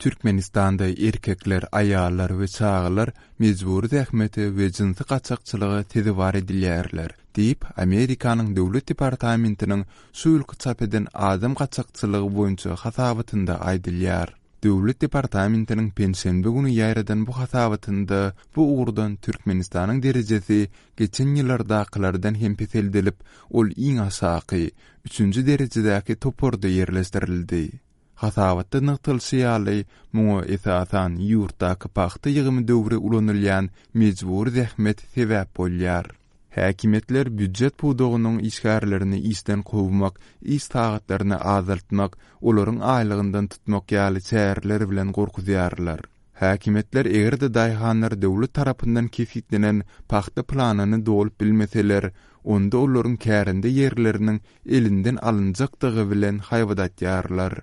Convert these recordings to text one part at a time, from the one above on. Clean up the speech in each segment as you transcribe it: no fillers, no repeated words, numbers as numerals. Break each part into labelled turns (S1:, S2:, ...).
S1: Türkmenistanda erkekler, aýallar we çagalar mejbury zähmete we jynsy gaçakçylyga sezewar edilýärler, diýip, Amerikanyň Döwlet departamentiniň şu ýylky çap eden adam gaçakçylygy boýunça hasabatynda aýdylýar. Döwlet departamentiniň penşenbe güni ýaýradan bu hasabatynda bu ugurdan Türkmenistanyň derejesi geçen ýyllardakylardan hem peseldilip, ol iň aşaky, üçünji derejedäki toparda ýerleşdirildi. Hasabatda nygtalyşy ýaly, muňa esasan ýurtdaky pagta ýygymy döwri ulanylýan mejbury zähmet sebäp bolýar. Häkimiýetler býujet pudagynyň işgärlerini işden kowmak, iş sagatlaryny azaltmak, olaryň aýlygyndan tutmak ýaly çäreler bilen gorkuzýarlar. Häkimiýetler eger-de daýhanlar döwlet tarapyndan kesgitlenen pagta planyny dolup bilmeseler, onda olaryň kärende ýerleriniň elinden alynjakdygy bilen haýbat atýarlar.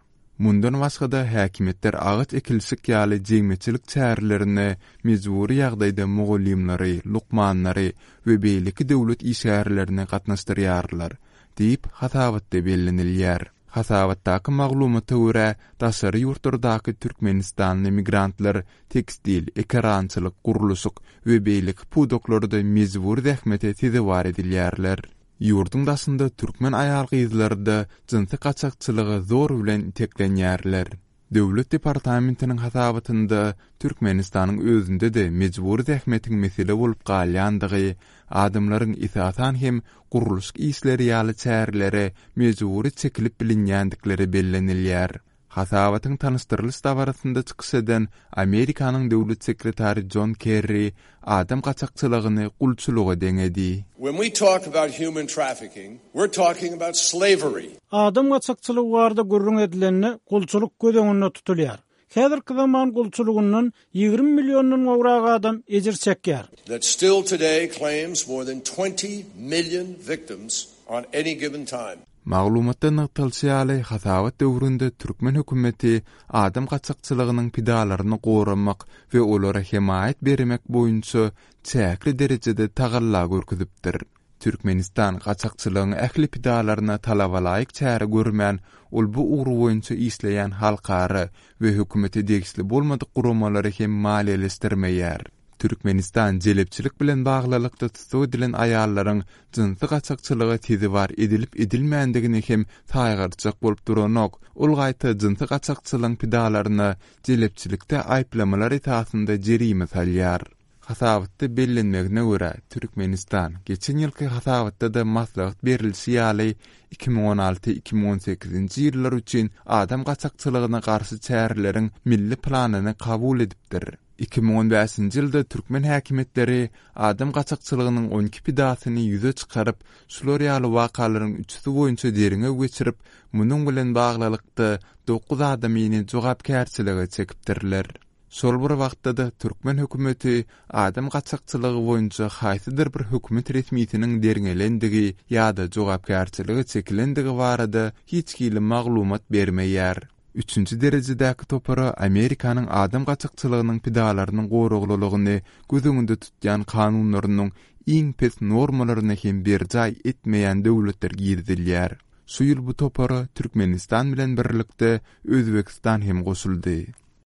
S1: Mundan başga-da, häkimiýetler agaç ekilişik ýaly jemgyýetçilik çärelerine mejbury ýagdaýda mugallymlary, lukmanlary we beýleki döwlet işgärlerini gatnaşdyrýarlar, diýip, hasabatda bellenilýär. Hasabatdaky maglumata görä, daşary ýurtlardaky türkmenistanly migrantlar tekstil, ekerançylyk, gurluşyk we beýleki pudaklarda mejbury zähmete sezewar edilýärler. Ýurduň daşynda türkmen aýal-gyzlary-da jynsy gaçakçylyga zor bilen iteklenýärler. Döwlet departamentiniň hasabatynda Türkmenistanyň özünde-de mejbury zähmetiň mesele bolup galýandygy, adamlaryň esasan hem gurluşyk işleri ýaly çärelere mejbury çekilip bilinýändikleri bellenilýär. Hasabatyň tanyşdyrylyş dabarasynda çykyş eden Amerikanyň döwlet sekretary Jon Kerri adam gaçakçylygyny gulçulyga deňedi.
S2: When we talk about human trafficking, we're talking about slavery.
S3: Adam gaçakçylygy barada gürrüň edilende, gulçulyk göz öňünde tutulýar. Häzirki zaman gulçulygyndan 20 milliondan gowrak adam ejir çekýär.
S2: That still today claims more than 20 million victims on any given time.
S1: Maglumatda nygtalyşy ýaly, hasabat döwründe türkmen hökümeti adam gaçakçylygynyň pidalaryny goramak we olara hemaýat bermek boýunça çäkli derejede tagalla görkezipdir. Türkmenistan gaçakçylygyň ähli pidalaryna talabalaýyk çäre görmän, ol bu ugur boýunça işleýän halkara we hökümete degişli bolmadyk guramalary hem maliýeleşdirmeýär. Türkmenistan jelepçilik bilen baglylykda tussag edilen aýallaryň jynsy gaçakçylyga sezewar edilip-edilmändigini hem saýgartjak bolup duranok, ol gaýta jynsy gaçakçylygyň pidalaryna jelepçilikde aýyplamalar esasynda jerime salýar. Hasabatda bellenmegine görä, Türkmenistan, geçen ýylky hasabatda-da maslahat berlişi ýaly, 2016, 2018-nji ýyllar üçin adam gaçakçylygyna garşy çäreleriň milli planyny kabul edipdir. 2015-nji ýylda türkmen häkimiýetleri adam gaçakçylygynyň 12 pidasyny ýüze çykaryp, şular ýaly wakalaryň üçüsi boýunça derňew geçirip, munuň bilen baglylykda, dokuz adamyny jogapkärçilige çekipdirler. Şol bir wagtda-da türkmen hökümeti adam gaçakçylygy boýunça haýsydyr bir hökümet resmisiniň derňelendigi ýa-da jogapkärçilige çekilendigi barada hiç hili maglumat bermeýär. Üçünji derejedäki topara Amerikanyň adam gaçakçylygynyň pidalarynyň goraglylygyny göz öňünde tutýan kanunlarynyň iň pes normalaryny hem berjaý etmeýän döwletler girizilýär. Şu ýyl bu topara Türkmenistan bilen birlikde Özbegistan hem goşuldy.